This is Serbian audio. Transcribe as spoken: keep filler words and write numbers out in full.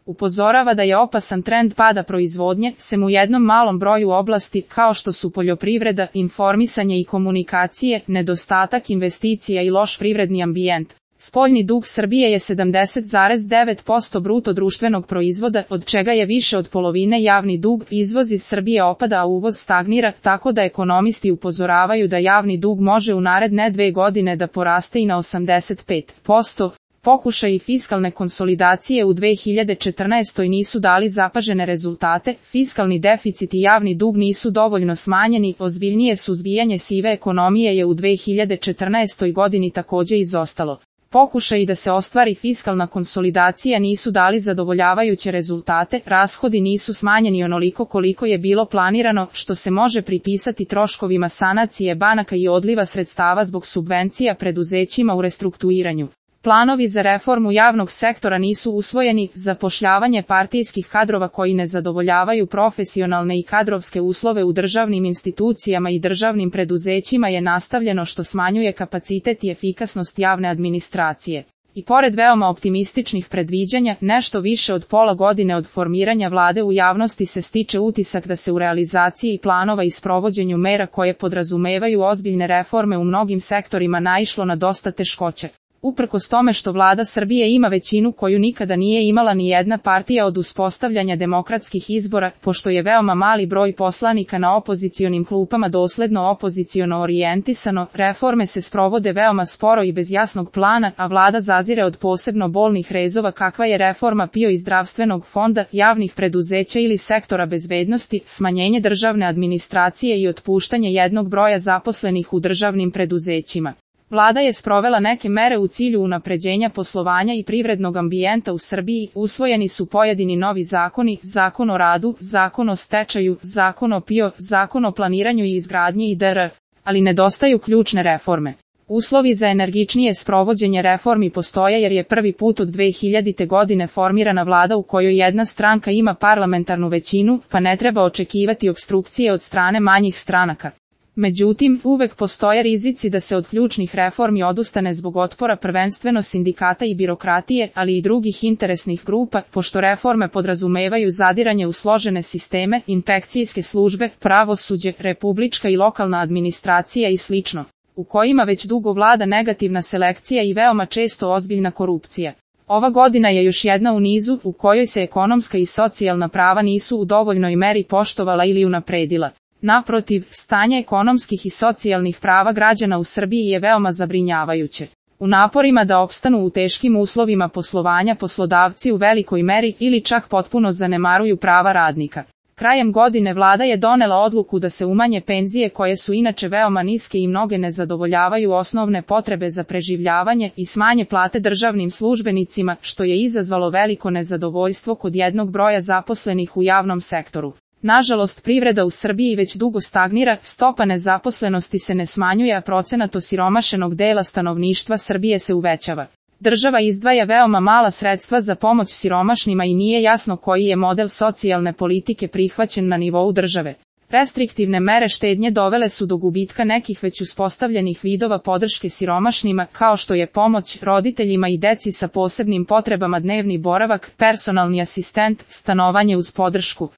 Upozorava da je opasan trend pada proizvodnje, sem u jednom malom broju oblasti, kao što su poljoprivreda, informisanje i komunikacije, nedostatak investicija i loš privredni ambijent. Spoljni dug Srbije je sedamdeset zarez devet posto bruto društvenog proizvoda, od čega je više od polovine javni dug, izvoz iz Srbije opada a uvoz stagnira, tako da ekonomisti upozoravaju da javni dug može u naredne dve godine da poraste i na osamdeset pet posto. Pokušaji fiskalne konsolidacije u dve hiljade četrnaestoj nisu dali zapažene rezultate, fiskalni deficit i javni dug nisu dovoljno smanjeni, ozbiljnije suzbijanje sive ekonomije je u dve hiljade četrnaestoj godini takođe izostalo. Pokušaji da se ostvari fiskalna konsolidacija nisu dali zadovoljavajuće rezultate, rashodi nisu smanjeni onoliko koliko je bilo planirano, što se može pripisati troškovima sanacije banaka i odliva sredstava zbog subvencija preduzećima u restrukturiranju. Planovi za reformu javnog sektora nisu usvojeni, zapošljavanje partijskih kadrova koji ne zadovoljavaju profesionalne i kadrovske uslove u državnim institucijama i državnim preduzećima je nastavljeno što smanjuje kapacitet i efikasnost javne administracije. I pored veoma optimističnih predviđanja, nešto više od pola godine od formiranja vlade u javnosti se stiče utisak da se u realizaciji planova i sprovođenju mera koje podrazumevaju ozbiljne reforme u mnogim sektorima naišlo na dosta teškoće. Uprkos tome što vlada Srbije ima većinu koju nikada nije imala ni jedna partija od uspostavljanja demokratskih izbora, pošto je veoma mali broj poslanika na opozicionim klupama dosledno opoziciono orijentisano, reforme se sprovode veoma sporo i bez jasnog plana, a vlada zazire od posebno bolnih rezova kakva je reforma P I O i zdravstvenog fonda, javnih preduzeća ili sektora bezbednosti, smanjenje državne administracije i otpuštanje jednog broja zaposlenih u državnim preduzećima. Vlada je sprovela neke mere u cilju unapređenja poslovanja i privrednog ambijenta u Srbiji, usvojeni su pojedini novi zakoni, Zakon o radu, Zakon o stečaju, Zakon o P I O, Zakon o planiranju i izgradnji itd., ali nedostaju ključne reforme. Uslovi za energičnije sprovođenje reformi postoje jer je prvi put od dve hiljadite godine formirana vlada u kojoj jedna stranka ima parlamentarnu većinu, pa ne treba očekivati opstrukcije od strane manjih stranaka. Međutim, uvek postoje rizici da se od ključnih reformi odustane zbog otpora prvenstveno sindikata i birokratije, ali i drugih interesnih grupa, pošto reforme podrazumevaju zadiranje u složene sisteme, inspekcijske službe, pravosuđe, republička i lokalna administracija i slično, u kojima već dugo vlada negativna selekcija i veoma često ozbiljna korupcija. Ova godina je još jedna u nizu u kojoj se ekonomska i socijalna prava nisu u dovoljnoj meri poštovala ili unapredila. Naprotiv, stanje ekonomskih i socijalnih prava građana u Srbiji je veoma zabrinjavajuće. U naporima da opstanu u teškim uslovima poslovanja poslodavci u velikoj meri ili čak potpuno zanemaruju prava radnika. Krajem godine vlada je donela odluku da se umanje penzije koje su inače veoma niske i mnoge ne zadovoljavaju osnovne potrebe za preživljavanje i smanje plate državnim službenicima, što je izazvalo veliko nezadovoljstvo kod jednog broja zaposlenih u javnom sektoru. Nažalost, privreda u Srbiji već dugo stagnira, stopa nezaposlenosti se ne smanjuje, a procenat osiromašenog dela stanovništva Srbije se uvećava. Država izdvaja veoma mala sredstva za pomoć siromašnima i nije jasno koji je model socijalne politike prihvaćen na nivou države. Restriktivne mere štednje dovele su do gubitka nekih već uspostavljenih vidova podrške siromašnima, kao što je pomoć roditeljima i deci sa posebnim potrebama, dnevni boravak, personalni asistent, stanovanje uz podršku.